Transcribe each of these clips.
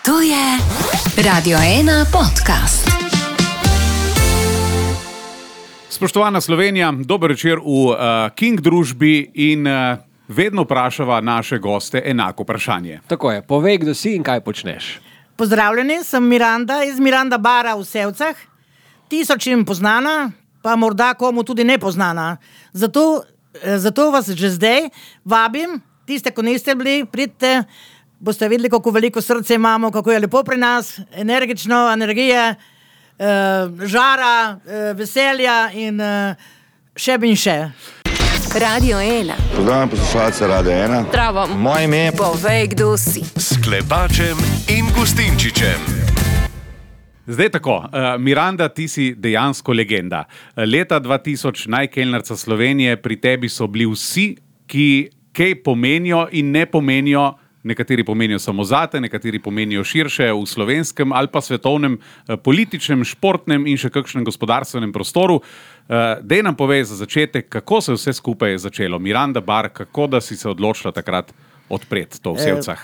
To je Radio 1 podcast. Spoštovana Slovenija, dober večer v King družbi in vedno vprašava naše goste enako vprašanje. Tako je, povej, kdo si in kaj počneš. Pozdravljeni, sem Miranda iz Miranda bara v Sevcah. Tisočim poznana, pa morda komu tudi nepoznana. Zato vas že zdaj vabim, tiste, ko niste bili, pridite, boste videli, kako veliko srce imamo, kako je lepo pri nas, energično, energije, žara, veselja in še in še. Radio 1. Pozdravljam poslušalce Radio 1. Zdravo. Moje ime je Povej, kdo si. S Klepačem in Gustinčičem. Zdaj tako, Miranda, ti si dejansko legenda. Leta 2000 najkelnarca Slovenije, pri tebi so bili vsi, ki kaj pomenijo in ne pomenijo. Nekateri pomenijo samo zate, nekateri pomenijo širše v slovenskem ali pa svetovnem, političnem, športnem in še kakšnem gospodarstvenem prostoru. Dej nam povej za začetek, kako se vse skupaj je začelo. Miranda bar, kako da si se odločila takrat odpreti to v Sevcah?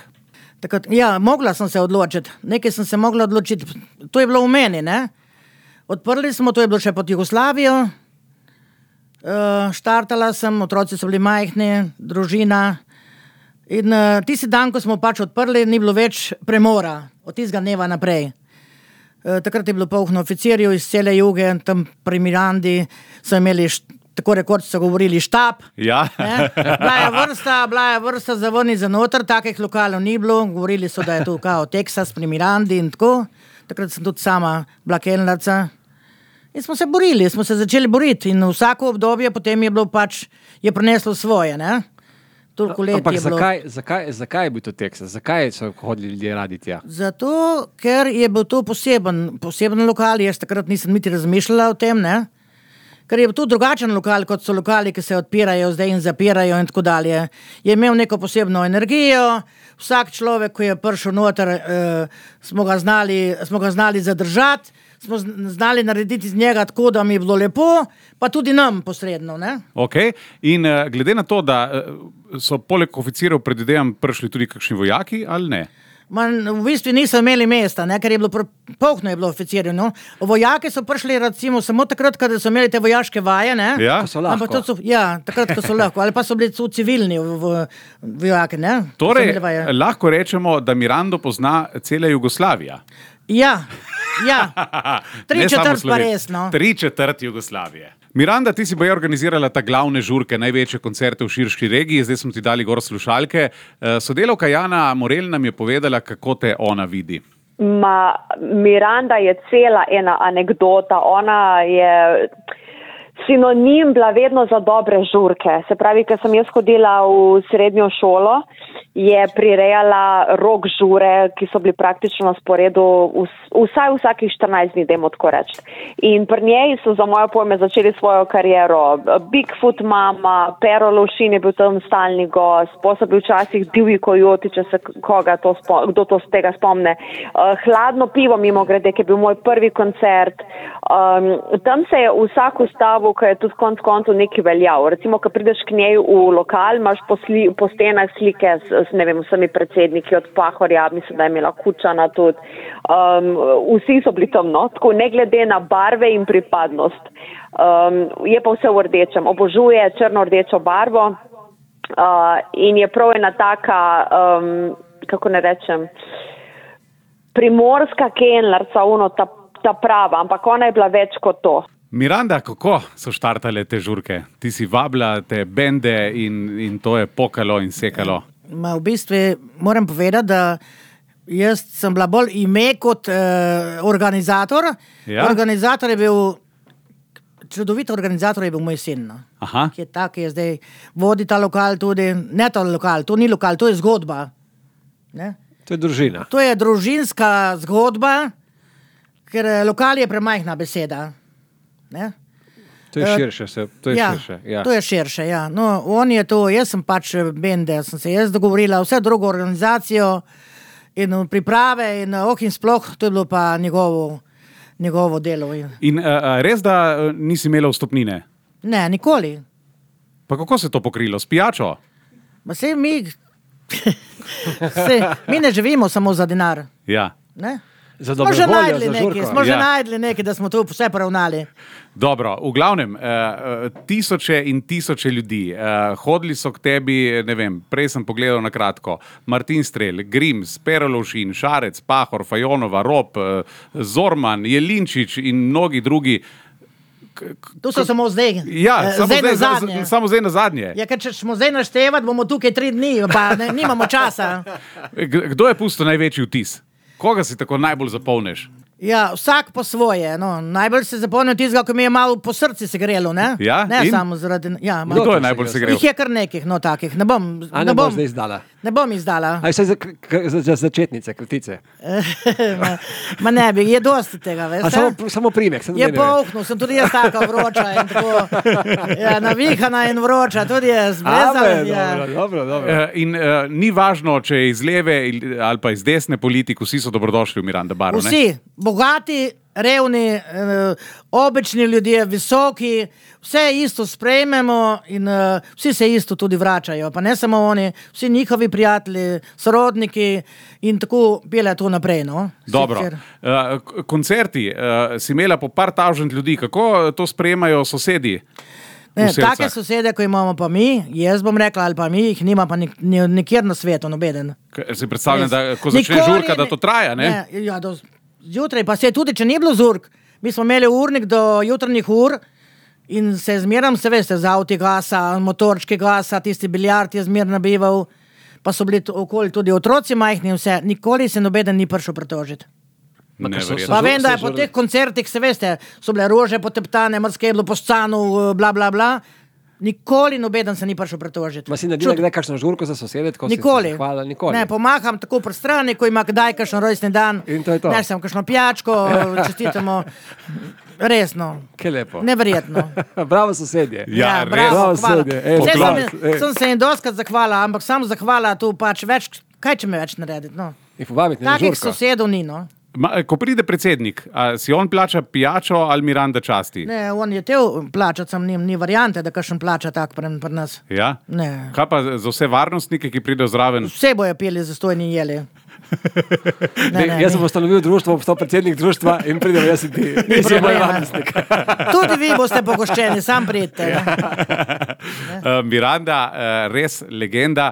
Mogla sem se odločiti. Nekaj sem se mogla odločiti. To je bilo v meni, ne? Odprli smo, to je bilo še pod Jugoslavijo. Štartala sem, otroci so bili majhni, družina. In tisti dan, ko smo pač odprli, ni bilo več premora od tistega dneva naprej. Takrat je bilo polno oficirjev iz cele juge, tam pri Mirandi so imeli, tako rekoč so govorili, štab. Ja. Bila je vrsta za ven in za noter, takih lokalov ni bilo, govorili so, da je tu kao Teksas pri Mirandi in tako. Takrat sem tudi sama bila kelnarca. In smo se borili, smo se začeli boriti in vsako obdobje potem je bilo pač, je prineslo svoje, ne? Ampak zakaj je bil to Teksas? Zakaj so hodili ljudje radi tja? Zato, ker je bil to poseben lokal, jaz takrat nisem niti razmišljala o tem, ne? Ker je bil to drugačen lokal, kot so lokali, ki se odpirajo zdaj in zapirajo in tako dalje. Je imel neko posebno energijo, vsak človek, ko je prišel noter, smo ga znali zadržati, smo znali narediti z njega tako, da mi je bilo lepo, pa tudi nam posredno, ne? Ok, in glede na to, da so poleg oficirov predvidevam prišli tudi kakšni vojaki ali ne? V bistvu niso imeli mesta, ne? Ker je bilo polno je bilo oficirjev, no? Vojaki so prišli recimo samo takrat, kada so imeli te vojaške vaje, ne? Ja? Ko so lahko. Takrat, ko so lahko, ali pa so bili civilni vojaki, ne? Torej, lahko rečemo, da Mirando pozna cela Jugoslavija. Ja. 3/4 pa res, no. 3/4 Jugoslavije. Miranda, ti si baje organizirala ta glavne žurke, največje koncerte v širški regiji, zdaj smo ti dali gor slušalke. Sodelavka Jana Morel nam je povedala, kako te ona vidi. Miranda je cela ena anekdota, ona je sinonim bila vedno za dobre žurke. Se pravi, ker sem jaz hodila v srednjo šolo, je prirejala rock žure, ki so bili praktično na sporedu vsakih 14 dni, dajmo tako reči. In pri njej so za moje pojme začeli svojo kariero. Bigfoot mama, Pero Lovšin je bil tam stalni gost, posebej bil včasih Divji kojoti, če se kdo to z tega spomne. Hladno pivo mimo grede, ki je bil moj prvi koncert. Tam se je vsak ustavil, ki je tudi konc koncu nekaj veljal. Recimo, ko prideš k njej v lokal, imaš po stenah slike s vsemi predsedniki od Pahorja, mislim, da je imela Kučana tudi. Vsi so bili tam, no, tako ne glede na barve in pripadnost. Je pa vse v rdečem, obožuje črno-rdečo barvo in je prav ena taka, kako ne rečem, primorska kelnarca, ta prava, ampak ona je bila več kot to. Miranda, kako so štartale te žurke? Ti si vabila te bende in to je pokalo in sekalo. V bistvu moram povedati, da jaz sem bila bolj ime kot organizator. Ja? Organizator je bil, čudovit organizator je bil moj sin. No? Aha. Ki je tak, ki je zdaj vodi ta lokal tudi. Ne ta lokal, to ni lokal, to je zgodba. Ne? To je družina. To je družinska zgodba, ker lokal je premajhna beseda. Ne? To je širše. To je širše, ja. No, on je to, jaz sem pač bende, sem se jaz dogovorila, vse drugo organizacijo in priprave in sploh, to je bilo pa njegovo delo. In res, da nisi imela vstopnine? Ne, nikoli. Pa kako se to pokrilo? S pijačo? Sej mi Mi ne živimo samo za denar. Ja. Ne? Za Smo dobro že voljo, najdli za nekaj, žurko. smo že Ja. najdli nekaj, da smo tu vse poravnali. Dobro, v glavnem, tisoče in tisoče ljudi. Hodili so k tebi, ne vem, prej sem pogledal na kratko. Martin Strel, Grims, Perolovšin, Šarec, Pahor, Fajonova, Rop, Zorman, Jelinčič in mnogi drugi. Tu so samo zdaj. Ja, samo zdaj na zadnje. Ja, ker če smo zdaj naštevati, bomo tukaj 3 dni, pa nimamo časa. Kdo je pustil največji vtis? Koga si tako najbolj zapomniš? Ja, vsak po svoje. No. Najbolj se zapomnim tistega, ko mi je malo po srcu se grelo. Ne, Ja, ne in? samo zaradi. Ja, malo. Kdo je najbolj se grel? Jih je kar nekih, no takih. Ne bom zdaj izdala. Ne bom izdala. Aj vse za začetnice, kratice. Ma ne bi, je dosti tega, veš. Samo primek. Je polhno, sem tudi jaz taka vroča in tako. Ja, navihana in vroča, tudi jaz. Dobro. In ni važno, če je iz leve ali pa iz desne politike, vsi so dobrodošli v Miranda Baru. Ne? Vsi, bogati, revni, obični ljudje, visoki, vse isto sprejmemo in vsi se isto tudi vračajo. Pa ne samo oni, vsi njihovi prijatelji, sorodniki in tako pele to naprej. No? Dobro. Koncerti si imela po par tavžent ljudi. Kako to sprejemajo sosedi? Ne, take sosede, ko imamo pa mi, jaz bom rekla, ali pa mi, jih nima pa nikjer na svetu, nobeden. Si predstavljam, da ko začne žurka, da to traja, ne? Ja, zjutraj, pa se tudi, če ni bilo žurk, mi smo imeli urnik do jutranjih ur in se zmeram, se veste, z avti gasa, motorčki gasa, tisti biljard je zmer nabival, pa so bili okoli tudi otroci majhni in vse, nikoli se nobeden ni prišel pritožiti. Pa vem, da je po teh koncertih, se veste, so bile rože poteptane, mrske je bilo po scanu, bla, bla, bla. Nikoli nobeden se ni prišel pritožiti. Ma si naredila kdaj kakšno žurko za sosede? Nikoli. Nikoli. Ne, pomaham tako pri strani, ko ima kdaj kakšen rojstni dan. In to je to. Ne, sem kakšno pijačko, čestitamo. Resno. Kaj lepo. Neverjetno. Bravo sosedje. Ja, bravo, res. hvala. Sosedje, Sem se jim doskrat zahvala, ampak sam zahvala tu pač več, kaj če me več narediti, no. In povabiti na Takih žurko. sosedov ni, no. Ko pride predsednik, si on plača pijačo ali Miranda časti? Ne, on je tev plačati, sam ni variante, da kakšen plača tak pri nas. Ja? Ne. Kaj pa za vse varnostnike, ki pridejo zraven? Vse bojo pili zastojni jeli. Jaz sem ustanovil društvo, postal predsednik društva in pridem jaz in ti. Ni problema. Tudi vi boste pogoščeni, sam pridite. Miranda, res legenda.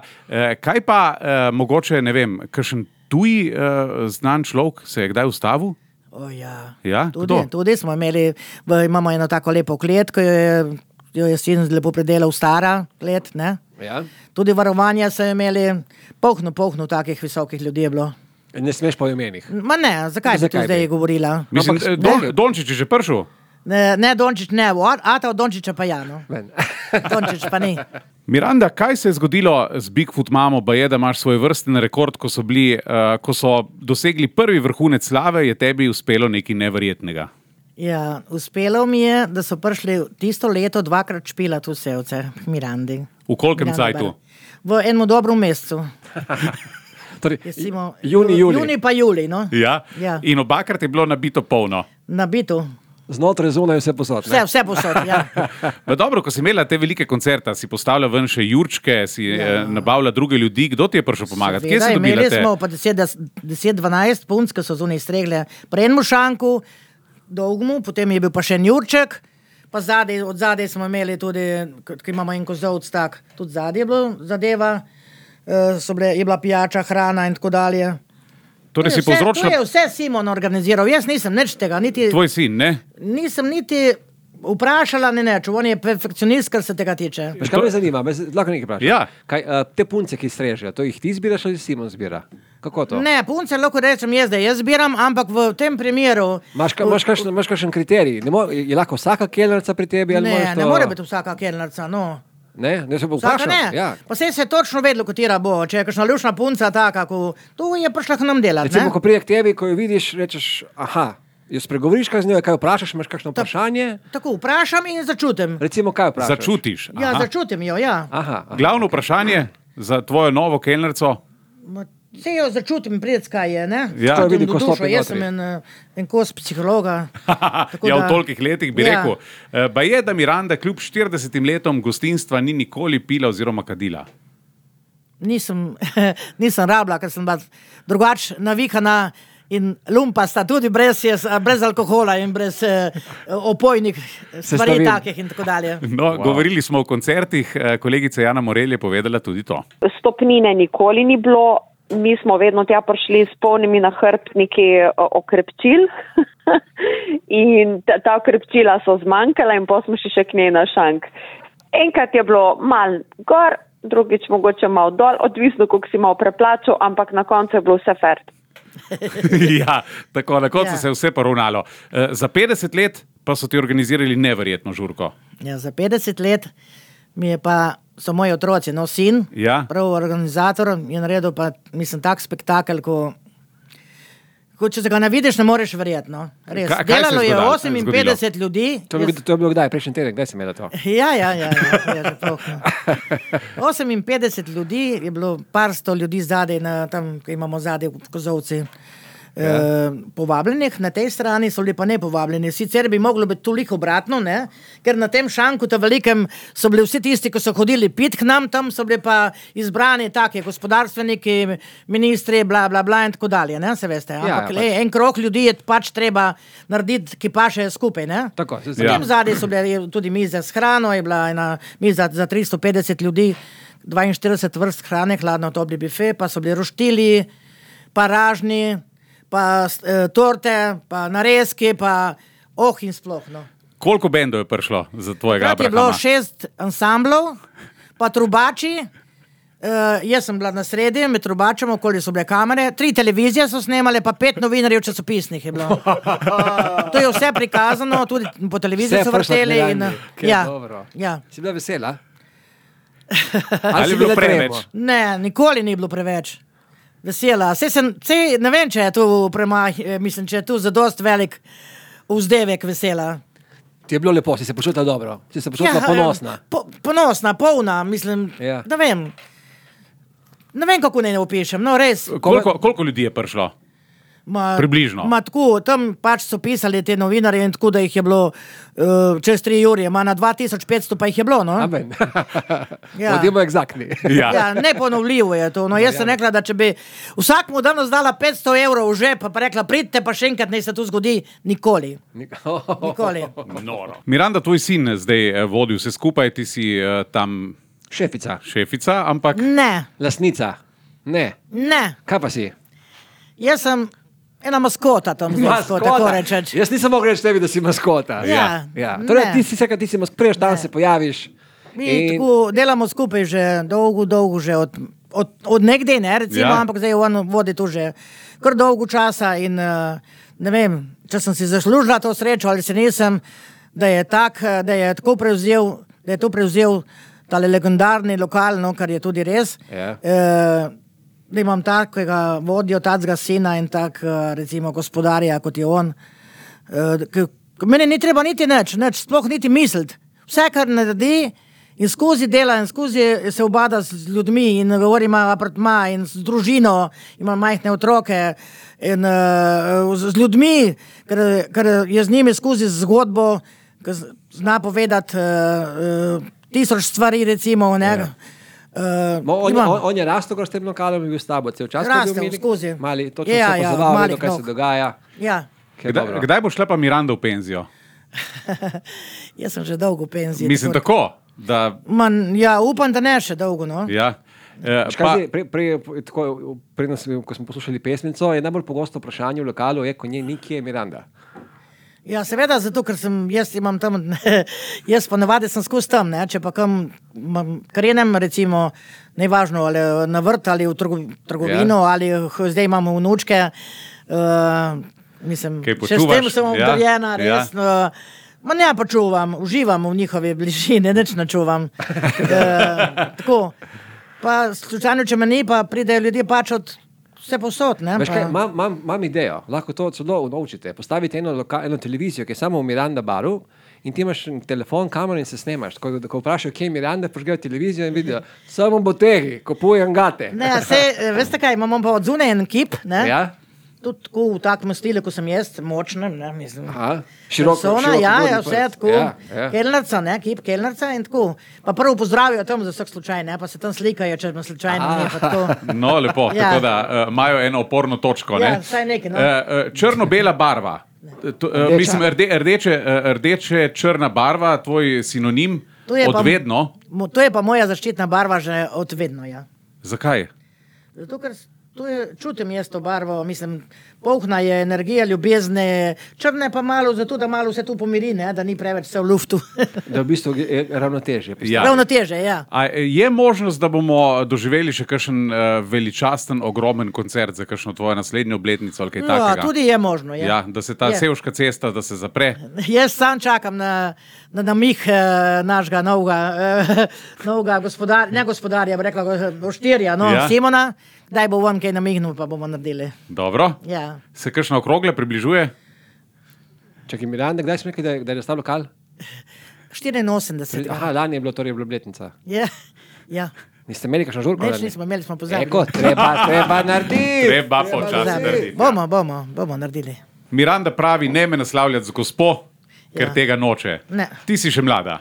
Kaj pa mogoče, ne vem, kakšen tuji znan človek se je kdaj ustavil? Ja. Ja? Tudi smo imeli, imamo eno tako lepo klet, ko jo je sin lepo predelal, stara klet, ne? Ja. Tudi varovanja so imeli, polhno takih visokih ljudi je bilo. Ne smeš po imenih. Ma ne, zakaj bi tu zdaj govorila? Mislim, Dončić je že prišel? Ne, Dončić ne, Ata od Dončića pa ja, no. Dončić pa ni. Miranda, kaj se je zgodilo z Bigfoot mamo, ba je, da imaš svoj vrsten rekord, ko so dosegli prvi vrhunec slave, je tebi uspelo nekaj neverjetnega? Ja, uspelo mi je, da so prišli tisto leto 2-krat špilati vse ovce Mirandi. V kolkem cajtu? V enem dobrom mesecu. Torej, Juni pa juli, no. Ja? Ja. In obakrat je bilo nabito polno? Nabito. Znotraj zunaj vse posod. Vse posod, ja. Dobro, ko si imela te velike koncerte, si postavila ven še jurčke, si nabavila druge ljudi, kdo ti je prišel pomagati? Kje si dobila te? Imeli smo pa 10-12 punc, ki so zunaj stregle pri enem šanku, dolgmu, potem je bil pa še en jurček, pa od zadaj smo imeli tudi, ki imamo en kozovc tak, tudi zadaj je bilo zadeva, je bila pijača, hrana in tako dalje. Torej si povzročila... To je vse Simon organiziral, jaz nisem nič tega, niti... Tvoj sin, ne? Nisem niti vprašala, ne neč, on je perfekcionist, kar se tega tiče. Veš, kaj me zanima, lahko nekaj vprašam. Ja. Kaj, te punce, ki strežejo, to jih ti zbiraš ali Simon zbira? Kako to? Ne, punce lahko rečem jaz, da jaz zbiram, ampak v tem primeru... Imaš kakšen kriterij? Je lahko vsaka kelnerca pri tebi? Ali ne more biti vsaka kelnerca, no. Ne se bo vprašal. Ja. Pa se je točno vedelo, katera bo. Če je kakšna lušna punca taka, tu je prišla k nam delati. Recimo, ko prije k tebi, ko jo vidiš, rečeš, aha, jo spregovoriš kaj z njo, kaj vprašaš, imaš kakšno vprašanje? Tako, vprašam in začutim. Recimo, kaj vprašaš? Začutiš. Aha. Ja, začutim jo, ja. Aha. Glavno vprašanje za tvojo novo kelnerco? Se jo začutim, pred kaj je, ne? Ja. To je vidi, ko dušo, stopi jaz sem en kos psihologa. Ja, v tolikih letih bi rekel. Ba je, da Miranda kljub 40 letom gostinstva ni nikoli pila oziroma kadila? nisem rabila, ker sem bila drugače navikana in lumpasta tudi brez alkohola in brez opojnih stvari takih in tako dalje. No, govorili smo o koncertih, kolegica Jana Morelj je povedala tudi to. Stopnine nikoli ni bilo, mi smo vedno tja prišli s polnimi nahrbtniki okrepčil in ta okrepčila so zmanjkala in potem smo še k njej na šank. Enkrat je bilo malo gor, drugič mogoče malo dol, odvisno, koliko si malo preplačal, ampak na koncu je bilo vse fair. Ja, tako, na koncu se je vse poravnalo. Za 50 let pa so ti organizirali neverjetno žurko. Ja, za 50 let so moji otroci, sin, prav organizator, je naredil pa, mislim, tak spektakel, ko če se ga ne vidiš, ne moreš verjetno. Res. Delalo je 58 ljudi. To je bilo kdaj, prejšnji teden, kdaj si imela to? Ja, 58 ljudi, je bilo par sto ljudi zadaj, tam, ko imamo zadaj v Kozovci. Povabljenih, na tej strani so bili pa ne povabljeni. Sicer bi moglo biti toliko obratno, ne? Ker na tem šanku, ta velikem, so bili vsi tisti, ki so hodili pit k nam, tam so bili pa izbrani taki gospodarstveniki, ministri, bla, bla, bla in tako dalje, ne? Se veste. Ampak en krog ljudi je pač treba narediti, ki paše skupaj, ne? Tako, v tem zadnji so bile tudi mize s hrano, je bila ena miza za 350 ljudi, 42 vrst hrane, hladno topli bife, pa so bili roštili, pa ražni, pa torte, pa narezki, pa in sploh, no. Koliko bendov je prišlo za tvojega Abrahama? Je bilo 6 ansamblov, pa trubači, jaz sem bila na sredi, med trubačem, okoli so bile kamere, 3 televizije so snemale, pa 5 novinarjev časopisnih je bilo. To je vse prikazano, tudi po televiziji so vrteli. Si bila vesela? Ali je bilo preveč? Ne, nikoli ni bilo preveč. Vesela. Ne vem, če je tu mislim, če je tu zadost velik vzdevek vesela. Ti je bilo lepo, si se počutila dobro, si se počutila ponosna. Ponosna, polna, mislim, ne vem. Ne vem, kako ne opišem, no res. Koliko ljudi je prišlo? Približno. Tako, tam pač so pisali te novinarje in tako, da jih je bilo čez 3 uri, na 2500 pa jih je bilo, no. Amen. Bodimo egzaktni. Neponovljivo je to. No, jaz sem rekla, da če bi vsak mu danes dala 500 evrov v žep, pa rekla, pridite pa še enkrat, naj se to zgodi, nikoli. Nikoli. Miranda, tvoj sin zdaj vodi vse skupaj, ti si tam šefica, ampak... Ne. Lastnica? Ne. Kaj pa si? Jaz sem ena maskota tam zelo, tako rečeč. Jaz nisem mogel reči tebi, da si maskota. Torej, ti si prejš dan se pojaviš. Mi tako delamo skupaj že dolgo že od nekdaj, ne, recimo, ampak zdaj on vodi tu že kar dolgo časa in ne vem, če sem si zaslužila to srečo ali se nisem, da je to prevzel tale legendarni lokal, no, kar je tudi res. Da imam takega vodjo, takega sina in tak, recimo, gospodarja, kot je on. Meni ni treba niti nič, sploh niti misliti. Vse, kar naredi in skozi dela in skozi se obada z ljudmi in govori, ima apartma in z družino, ima majhne otroke in z ljudmi, ker je z njimi skozi zgodbo, ker zna povedati 1000 stvari, recimo, ne. On je rastel, ko ste lokalom bil s tabo, cel čas, ko je bil skozi. Mali, točno se pozoval, kaj se dogaja. Kdaj bo šla pa Miranda v penzijo? Jaz sem že dolgo v penziji. Mislim tako, da... upam, da ne še dolgo, no. Ko smo poslušali pesmico, je najbolj pogosto vprašanje v lokalu, ko kje je Miranda? Ja, seveda, zato, ker jaz imam tam, jaz pa navadi sem skozi tam, ne, če pa krenem, recimo, nevažno, ali na vrt, ali v trgovino, ali zdaj imamo vnučke, mislim, še s tem sem obdaljena, res, ne pa čuvam, uživam v njihovi bližini, nič ne čuvam. Tako, pa slučajno, če me ni, pa pridejo ljudje pač od vse posod, ne? Veš kaj, imam idejo, lahko to celo naučite. Postavite eno televizijo, ki je samo v Miranda baru in ti imaš telefon, kamero in se snemaš. Ko vprašajo, kje je Miranda, požgejo televizijo in vidijo, samo botegi, kupujem gate. Ne, veste kaj, imamo pa od zunaj en kip, ne? Ja. Tudi tako v takem stilu, ko sem jaz, močnem, ne, mislim. Široko, vse tako. Kelnerca, ne, kip kelnerca in tako. Pa prvo pozdravijo tam za vsak slučaj, ne, pa se tam slikajo, če me slučajno ne, pa tako. No, lepo, tako da imajo eno oporno točko, ne? Ja, vsaj nekaj, no. Črno-bela barva. Mislim, rdeče črna barva, tvoj sinonim od vedno. To je pa moja zaščitna barva že od vedno, ja. Zakaj? Zato, ker čutim jaz to barvo, mislim, polhna je energija, ljubezne, črne pa malo, zato da malo vse tu pomiri, ne, da ni preveč vse v luftu. Da v bistvu je ravnotežje. Ja. Ravnotežje, ja. A je možnost, da bomo doživeli še kakšen veličasten, ogromen koncert za kakšno tvojo naslednjo obletnico ali kaj takega? Ja, tudi je možno, ja. Ja, da se ta Sevška cesta, da se zapre. Jaz sam čakam na namih našega novega gospodarja, bi rekla, Boštirja, Simona. Daj bo vam kaj namignil, pa bomo naredili. Dobro. Ja. Se kakšna okrogla približuje? Čakaj, Miranda, kdaj smo rekli, da je nastal lokal? 84. Aha, lani je bilo torej obletnica. Ja, ja. Niste imeli kakšno žurko? Neč nismo imeli, smo pozabili. Eko, treba narediti. Treba počasi narediti. Bomo naredili. Miranda pravi, ne me naslavljati z gospo, ker tega noče. Ne. Ti si še mlada.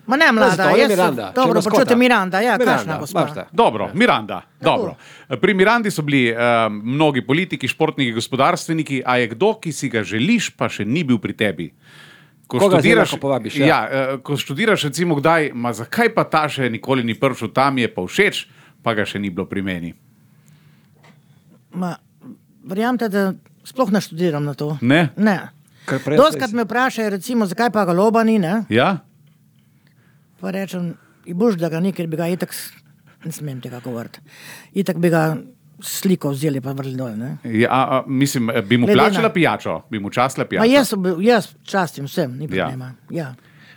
Ma ne mlada, jaz sem dobro počutim Miranda, ja, kakšna gospa. Dobro, Miranda, dobro. Pri Mirandi so bili mnogi politiki, športniki, gospodarstveniki, a je kdo, ki si ga želiš, pa še ni bil pri tebi? Koga lahko povabiš? Ja, ko študiraš recimo kdaj, ma zakaj pa ta še nikoli ni prišel, tam je pa všeč, pa ga še ni bilo pri meni? Ma, verjamete, da sploh ne študiram na to. Ne? Ne. Doskrat me vprašajo, recimo, zakaj pa ga Loba ni, ne? Ja? Pa rečem, boš, da ga ni, ker bi ga itak, ne smem tega govoriti, itak bi ga sliko vzeli pa vrli dol, ne? Ja, mislim, bi mu plačala pijačo? Bi mu častila pijačo? Ma jaz častim vsem, ni problema. Ja.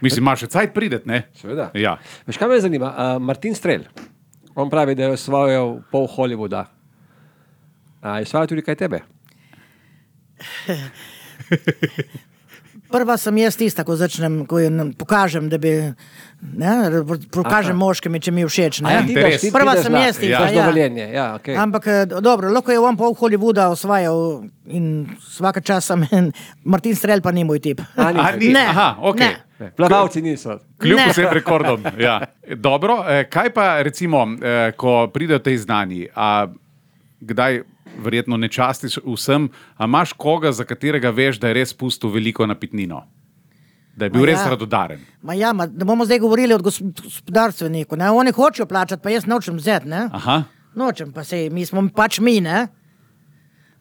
Mislim, imaš še cajt pridet, ne? Seveda. Ja. Veš, kaj me zanima? Martin Strel, on pravi, da je osvojil pol Hollywooda. Je osvojil tudi kaj tebe? Prva sem jaz tista, ko začnem, ko pokažem, da bi, ne, pokažem moškimi, če mi je všeč, ne. Prva sem jaz tista, ja. Okay. Ampak dobro, lahko je on pol Hollywooda osvajal in svaka časa Martin Strel pa ni moj tip. Ne. Aha, okej. Ne. Plavalci niso. Kljub vsem rekordom, ja. Dobro, kaj pa recimo, ko pridejo tej znani, a kdaj verjetno ne častiš vsem, a imaš koga, za katerega veš, da je res pustil veliko napitnino? Da je bil res radodaren? Da bomo zdaj govorili od gospodarstveniku, ne? Oni hočejo plačati, pa jaz nočem vzeti, ne? Aha. Nočem, pa sej, mi smo pač mi, ne?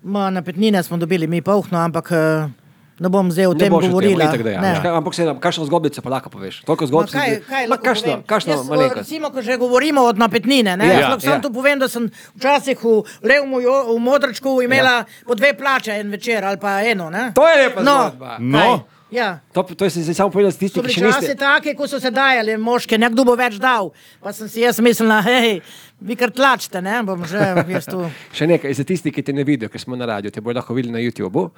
Napitnine smo dobili mi polhno, ampak ne bom zdaj o tem govorila. Ampak se kakšno zgodbico pa lahko poveš? Toliko zgodbic. Kaj lahko povem? Kakšno malenkost? Recimo, ko že govorimo od napitnine, ne? Sam tu povem, da sem včasih v Modrčku imela po 2 plače en večer ali pa eno, ne? To je lepa zgodba. No. Ja. To je si samo povedal s tisti, ki še niste. So bili časi take, ko so se dajali moške, nekdo bo več dal. Pa sem si jaz mislila, hej, vi kar tlačite, ne? Bom že jaz tu. Še nekaj, za tisti, ki te ne vidijo, ker smo na radiju, te bojo lahko videli na YouTubeu.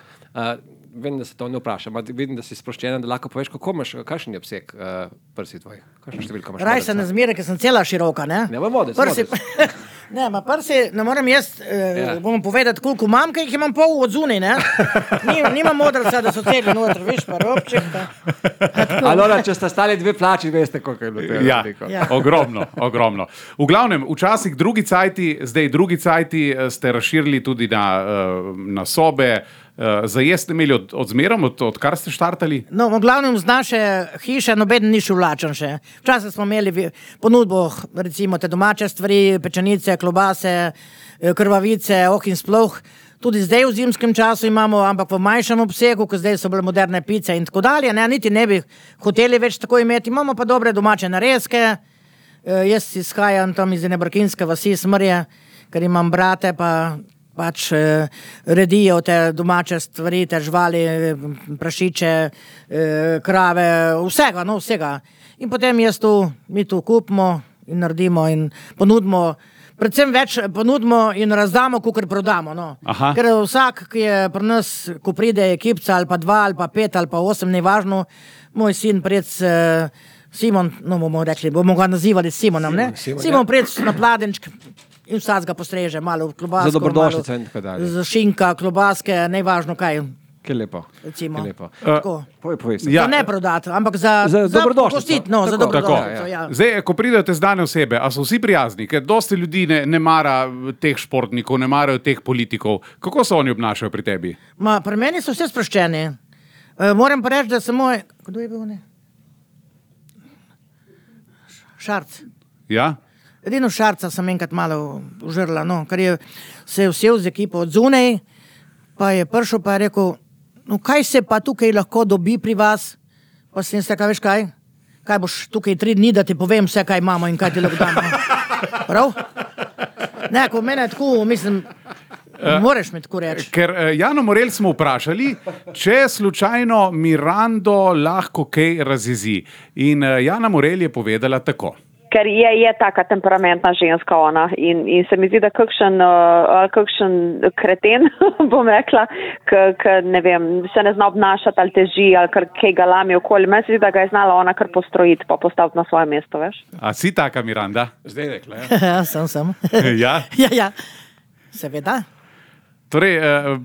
Vem, da se to ne vprašam, vidim, da si sproščena, da lahko poveš, kako imaš, kakšen je obseg prsi tvojih? Kakšno številko imaš? Raj se ne zmeri, ker sem cela široka, ne? Ne, modec. Ne, prsi, ne moram jaz, bomo povedati, koliko imam, ker jih imam pol od zunaj, ne? Nimam modrca, da so celi noter, viš, pa robček, pa. Alora, če sta stali 2 plači, veste, koliko je bilo tega. Ja, ogromno. V glavnem, včasih zdaj drugi cajti ste razširili tudi na sobe. Zajest ste imeli odzmerom, odkar ste štartali? No, v glavnem z naše hiše nobeden ni šel vlačen še. Včasih smo imeli ponudbo, recimo te domače stvari, pečenice, klobase, krvavice, in sploh. Tudi zdaj v zimskem času imamo, ampak v manjšem obsegu, ker zdaj so bile moderne pice in tako dalje. Ne, niti ne bi hoteli več tako imeti. Imamo pa dobre domače narezke. Jaz izhajam tam iz Brkinske vasi Smrje, ker imam brate, pač redijo te domače stvari, te živali, prašiče, krave, vsega. In potem mi tu kupimo in naredimo in ponudimo, predvsem več ponudimo in razdamo, kakor prodamo. No. Ker vsak, ki je pri nas, ko pride ekipca ali pa 2 ali pa 5 ali pa 8, ni važno, moj sin Simon, no bomo rekli, bomo ga nazivali Simonom, ne? Simon pred na Pladenčk in vsakega postreže, malo klobasko. Za dobrodošlico in tako dalje. Za šinka, klobaske, nevažno kaj. Kaj lepo. Recimo. Kaj lepo. Tako. Povej se. Ja. Za ne prodati, ampak za dobrodošlico. pustiti, no, za Tako. dobrodošlico, ja. Zdaj, ko pridete zdane osebe, a so vsi prijazni, ker dosti ljudi ne mara teh športnikov, ne marajo teh politikov. Kako se oni obnašajo pri tebi? Pri meni so vse sproščeni. Moram pa reči, da sem moj... Kdo je bil ne? Šarc. Ja? Edino Šarca sem enkrat malo užrla, no, ker se je vsel z ekipo od zunaj, pa je prišel pa je rekel, no kaj se pa tukaj lahko dobi pri vas? Pa sem se rekel, veš kaj? Kaj boš tukaj 3 dni, da ti povem vse, kaj imamo in kaj ti lahko damo. Prav? Ne, ko mene tako, mislim, moraš mi tako reči. Ker Jano Morel smo vprašali, če slučajno Mirando lahko kaj razjezi. In Jana Morel je povedala tako. Ker je taka temperamentna ženska ona in se mi zdi, da kakšen kreten, bom rekla, ne vem, se ne zna obnašati ali teži ali kaj ga lami okoli. Meni se zdi, da ga je znala ona kar postrojiti pa postaviti na svoje mesto, veš. A si taka, Miranda? Zdaj rekla, ja. Ja, sem. Ja? Ja, seveda. Torej,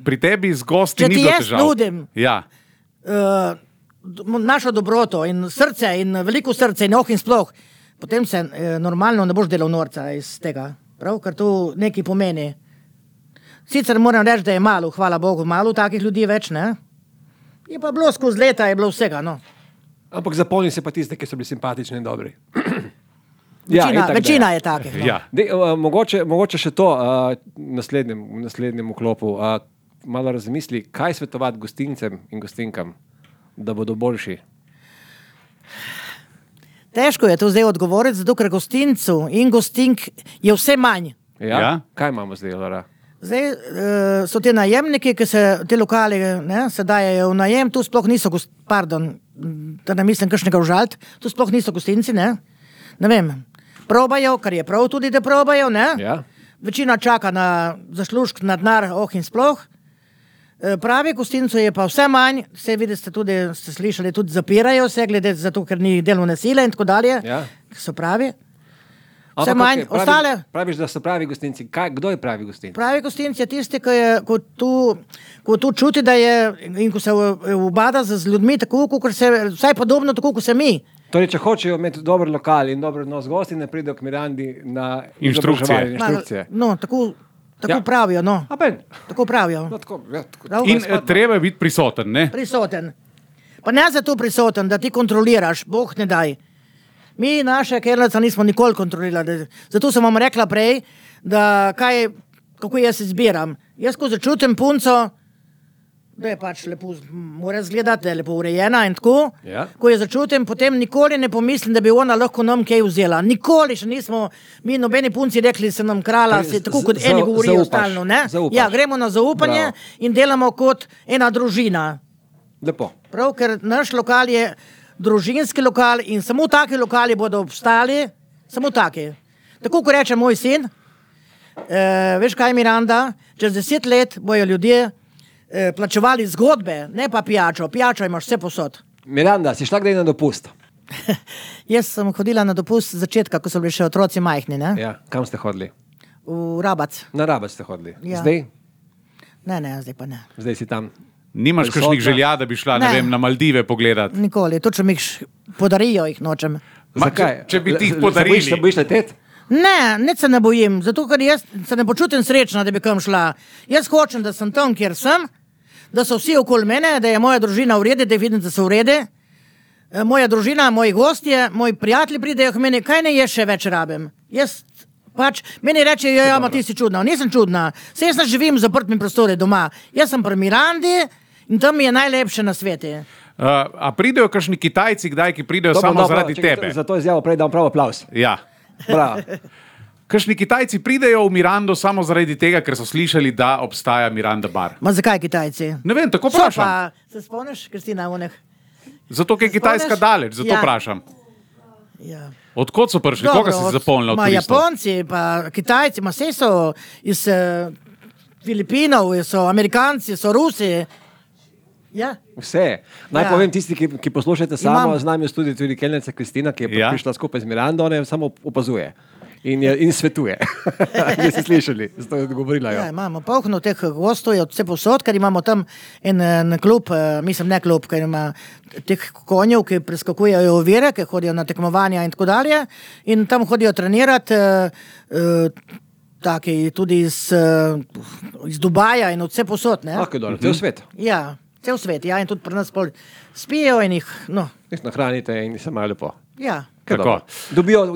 pri tebi z gosti ni bilo težav. Če ti jaz nudim Ja. našo dobroto in srce in veliko srce in in sploh, potem se normalno ne boš delal norca iz tega, prav, ker to nekaj pomeni. Sicer moram reči, da je malo, hvala Bogu, malo takih ljudi več, ne? Je pa bilo skozi leta, je bilo vsega, no. Ampak zapomni se pa tiste, ki so bili simpatični in dobri. Večina je takih. No. Ja. Mogoče še to v naslednjem vklopu. Malo razmisli, kaj svetovati gostincem in gostinkam, da bodo boljši. Težko je to zdaj odgovoriti, zato ker gostincu in gostink je vse manj. Ja. Kaj imamo zdaj, Lora? Zdaj so te najemniki, ki se te lokali se dajejo v najem, tu sploh niso, da ne mislim kakšnega užaliti, tu sploh niso gostinci, ne vem, probajo, kar je prav tudi, da probajo, ne? Ja. Večina čaka na zaslužk, na denar, in sploh. Pravi gostincu je pa vse manj, vse vidite, ste slišali, tudi zapirajo se, glede zato, ker ni delovne sile in tako dalje, Ja. so pravi. Vse manj, ostale... Praviš, da so pravi gostinci. Kdo je pravi gostinci? Pravi gostinci je tisti, ko tu čuti, da je in ko se ubada z ljudmi, tako, kot se, vsaj podobno, tako, kot se mi. Torej, če hočejo imeti dober lokal in dober nos gosti, ne pridejo k Mirandi na Inštrukcije. inštrukcije. No, tako Ja. pravijo, no. A ben? Tako pravijo. No, tako. Prav? In treba je biti prisoten, ne? Prisoten. Pa ne zato prisoten, da ti kontroliraš, Bog ne daj. Mi naše kerleca nismo nikoli kontrolirali. Zato sem vam rekla prej, da kako jaz izbiram. Jaz, ko začutim punco, da je pač lepo, mora izgledati, da je lepo urejena in tako. Ja. Ko je začutim, potem nikoli ne pomislim, da bi ona lahko nam kaj vzela. Nikoli še nismo, mi nobeni punci rekli, se nam krala, tako kot eni govorijo stalno. Zaupaš. Ja, gremo na zaupanje. Bravo. In delamo kot ena družina. Lepo. Prav, ker naš lokal je družinski lokal in samo taki lokali bodo obstali, samo taki. Tako kot reče moj sin, veš kaj, Miranda, čez 10 let bojo ljudje plačevali zgodbe, ne pa pijačo. Pijačo imaš vse posod. Miranda, si šla kdaj na dopust? Jaz sem hodila na dopust z začetka, ko so bili še otroci majhni, ne? Ja. Kam ste hodili? V Rabac. Na Rabac ste hodili. Ja. Zdaj? Ne, zdaj pa ne. Zdaj si tam. Nimaš Prisotna. kakšnih želja, da bi šla, ne vem, na Maldive pogledati? Nikoli, to, če mi podarijo, jih nočem. Zakaj? Če bi ti jih podarili. Se bojiš leteti? Ne, nič se ne bojim, zato ker jaz se ne počutim srečna, da bi kam šla. Jaz hočem, da sem tam, kjer sem, da so vsi okoli mene, da je moja družina v redu, da vidim, da so v redu. Moja družina, moji gostje, moji prijatelji pridejo k meni, kaj ne jaz še več rabim. Jaz pač, meni rečejo, ja, ma ti si čudna. Nisem čudna, se jaz ne živim v zaprtnem prostoru doma. Jaz sem pri Mirandi in tam mi je najlepše na svete. A pridejo kakšni Kitajci kdaj, ki pridejo samo zaradi tebe? Za to izjavo prej dam prav aplaus. Ja. Bravo. Kakšni Kitajci pridejo v Mirando samo zaradi tega, ker so slišali, da obstaja Miranda bar. Ma zakaj Kitajci? Ne vem, tako So vprašam. pa, se spomniš, Kristina, onih? Zato, ker je Kitajska spomniš? daleč, zato Ja. vprašam. Ja. Odkot so prišli? Koga si zapolnila od Ma turistov? Japonci, pa Kitajci, ma vse so iz Filipinov, so Amerikanci, so Rusi. Ja. Vse. Naj Ja. povem tisti, ki poslušate samo, Imam- z nami je tudi kelnerca Kristina, ki je Ja. prišla skupaj z Mirando, ona jo samo opazuje. in svetuje. Vi ste slišali, zato je odgovorila. Ja, imamo polno teh gostov, od vse posod, ker imamo tam en klub, mislim ne klub, ker ima teh konjev, ki preskakujejo ovire, ki hodijo na tekmovanja in tako dalje. In tam hodijo trenirati taki tudi iz Dubaja in od vse posod. Lahko je dobro, cel svet. Ja, cel svet, ja, in tudi pri nas spijo in jih, no. Jih nahranite in se imajo lepo. Ja. Tako.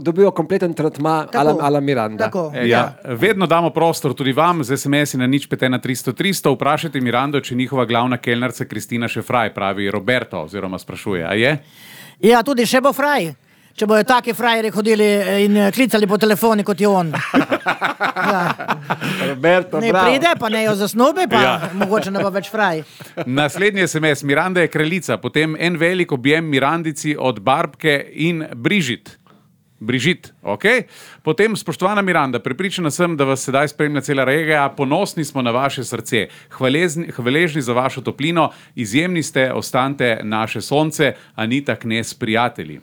Dobijo kompleten tretma ala Miranda. Tako. Ja, vedno damo prostor tudi vam z SMS-i na 051 300 300. Vprašajte Mirando, če njihova glavna kelnarca Kristina še fraj, pravi Roberto, oziroma sprašuje. A je? Ja, tudi še bo fraj. Če bojo taki frajeri hodili in klicali po telefoni, kot je on. Ja. Roberto, ne bravo. pride, pa ne jo zasnubi, pa mogoče ne bo več fraj. Naslednji SMS. Miranda je kraljica, potem en velik objem Mirandici od Barbke in Brižit, ok? Potem, spoštovana Miranda, prepričana sem, da vas sedaj spremlja cela regija, ponosni smo na vaše srce, hvaležni za vašo toplino, izjemni ste, ostanite naše sonce, Anita Knez, prijatelji.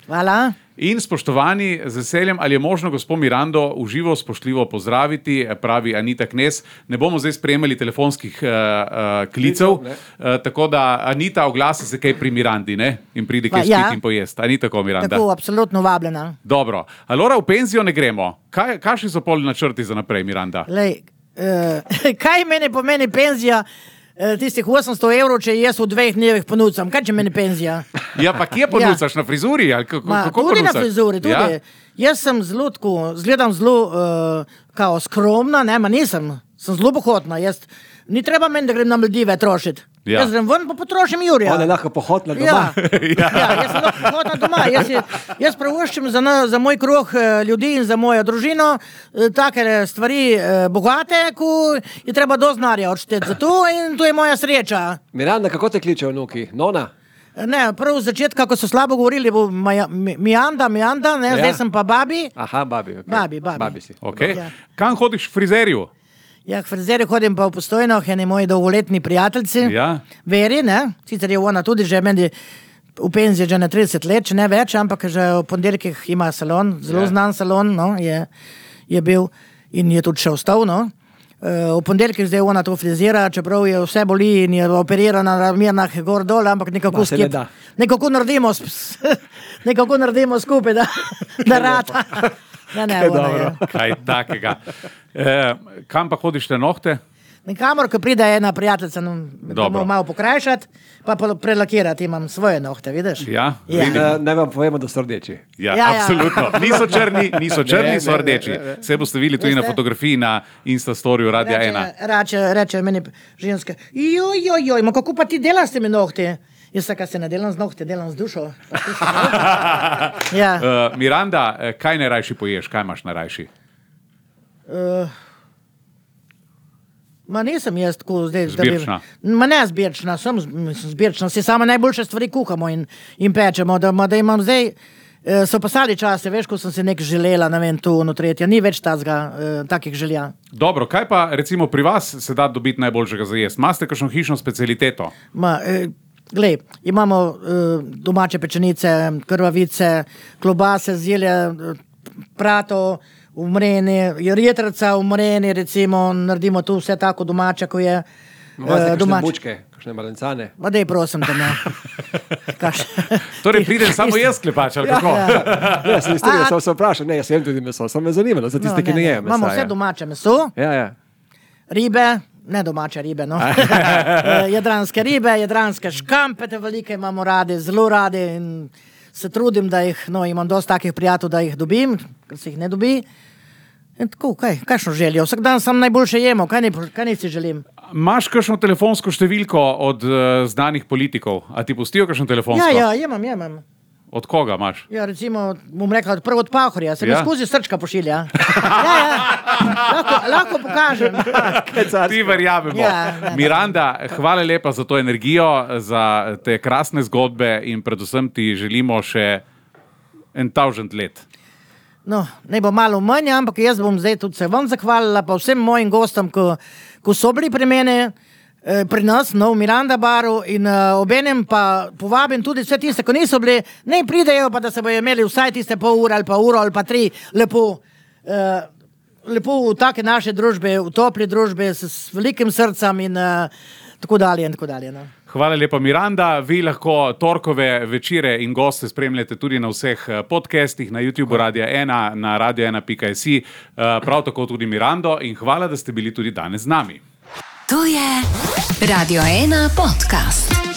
Hvala. In spoštovani, z veseljem, ali je možno gospod Mirando uživo spoštljivo pozdraviti, pravi Anita Knez. Ne bomo zdaj sprejemali telefonskih klicev, tako da Anita oglasi se kaj pri Mirandi, ne? In pride kaj spiti in pojesti. A ni tako, Miranda? Tako, absolutno vabljena. Dobro. Alora, v penzijo ne gremo. Kakšni so pol načrti za naprej, Miranda? Lej, kaj meni pomeni penzija? Tistih 800 evrov, če jaz v 2 dnevih ponucam. Kaj če meni penzija? Ja, pa kje ponucaš? Na frizuri? Ali kako tudi ponucaš? Na frizuri, tudi. Ja? Jaz sem zelo tako, zgledam zelo kao skromna, ne, ma nisem. Sem zelo pohotna. Ni treba meni, da grem na Maldive trošiti. Ja. Jaz grem ven, pa potrošim Jurija. On je lahko pohotna doma. Ja, jaz sem lahko pohotna doma. Jaz preuščim za moj kruh ljudi in za mojo družino take stvari bogate, ko je treba doznarja odšteti za to in to je moja sreča. Miranda, kako te kličejo vnuki? Nona? Ne, prav z začetka, ko so slabo govorili, bo Miranda, ne, zdaj sem pa babi. Aha, babi, okay. Babi si. Okay. Ja. Kam hodiš k frizerju? Ja, k frizerju hodim pa v Postojno, eni moji dolgoletni prijateljci. Ja. Veri, ne? Sicer je ona tudi že meni v penziji že na 30 let, če ne več, ampak že v ponedeljkih ima salon, zelo znan salon, no, je bil in je tudi še ostal, no. V ponedeljkih zdaj ona to frizira, čeprav je vse boli in je operirana na ramena gor dol, ampak nekako nekako naredimo skupaj, da rata. Kaj takega. Kam pa hodiš te nohte? Nikamor, ko pride ena prijateljica, bomo malo pokrajšati, pa prelakirati imam svoje nohte, vidiš? Ja. Ne vam povemo, da so rdeči. Ja, absolutno. Niso črni, so rdeči. Vse boste videli tudi na fotografiji na Instastoriju Radia 1. Reče meni ženske, joj, kako pa ti delaš s temi nohti? Jaz se ne delam z nohti, delam z dušo. Ja. Miranda, kaj najrajši poješ? Kaj imaš najrajši? Ma nisem jaz tako zdaj... Zbirčna? Ma ne zbirčna, sem zbirčna. Si sama najboljše stvari kuhamo in pečemo, da imam zdaj... So pasali čase, veš, ko sem si nek želela, ne vem, tu, no tretja. Ni več takih želja. Dobro, kaj pa recimo pri vas se da dobiti najboljšega za jesti? Maste kakšno hišno specialiteto? Glej, imamo domače pečenice, krvavice, klobase, zelje, prato, umreni, jetrca, umreni, recimo, naredimo tu vse tako domače, ko je domače. Bučke, kakšne malencane. Ma dej, prosim te, ne. Torej, pridem samo jaz klepač, ali kako? Ja, se se vprašam, ne, jaz jem tudi meso, sem me zanimalo, za tiste, ki ne jem mesa. Imamo vse domače meso, ribe, ne domače ribe, no. Jadranske ribe, jadranske škampe, te velike imamo radi, zelo radi in se trudim, da jih, no, imam dosti takih prijatelj, da jih dobim, ker se jih ne dobi. In tako, kakšno željo? Vsak dan sam najboljše jemo, kaj ne si želim? Imaš kakšno telefonsko številko od znanih politikov? A ti pustijo kakšno telefonsko? Ja, jemam. Od koga imaš? Ja, recimo, bom rekla, prvo od Pahorja, se mi skozi srčka pošilja. Lahko pokažem. Ti verjamemo. Miranda, hvala lepa za to energijo, za te krasne zgodbe in predvsem ti želimo še 1000 let. No, ne bo malo manj, ampak jaz bom zdaj tudi se vam zahvalila, pa vsem mojim gostom, ko so bili pri mene, pri nas, v Miranda baru in obenem pa povabim tudi vse tiste, ko niso bili, ne pridejo, pa da se bojo imeli vsaj tiste pol ure ali pa uro ali pa 3 lepo v take naše družbe, v topli družbe s velikim srcem in tako dalje in tako dalje. No. Hvala lepa, Miranda. Vi lahko torkove večere in goste spremljate tudi na vseh podcastih, na YouTube Radia 1, na radio1.si, prav tako tudi Mirando in hvala, da ste bili tudi danes z nami. To je Radio 1 podcast.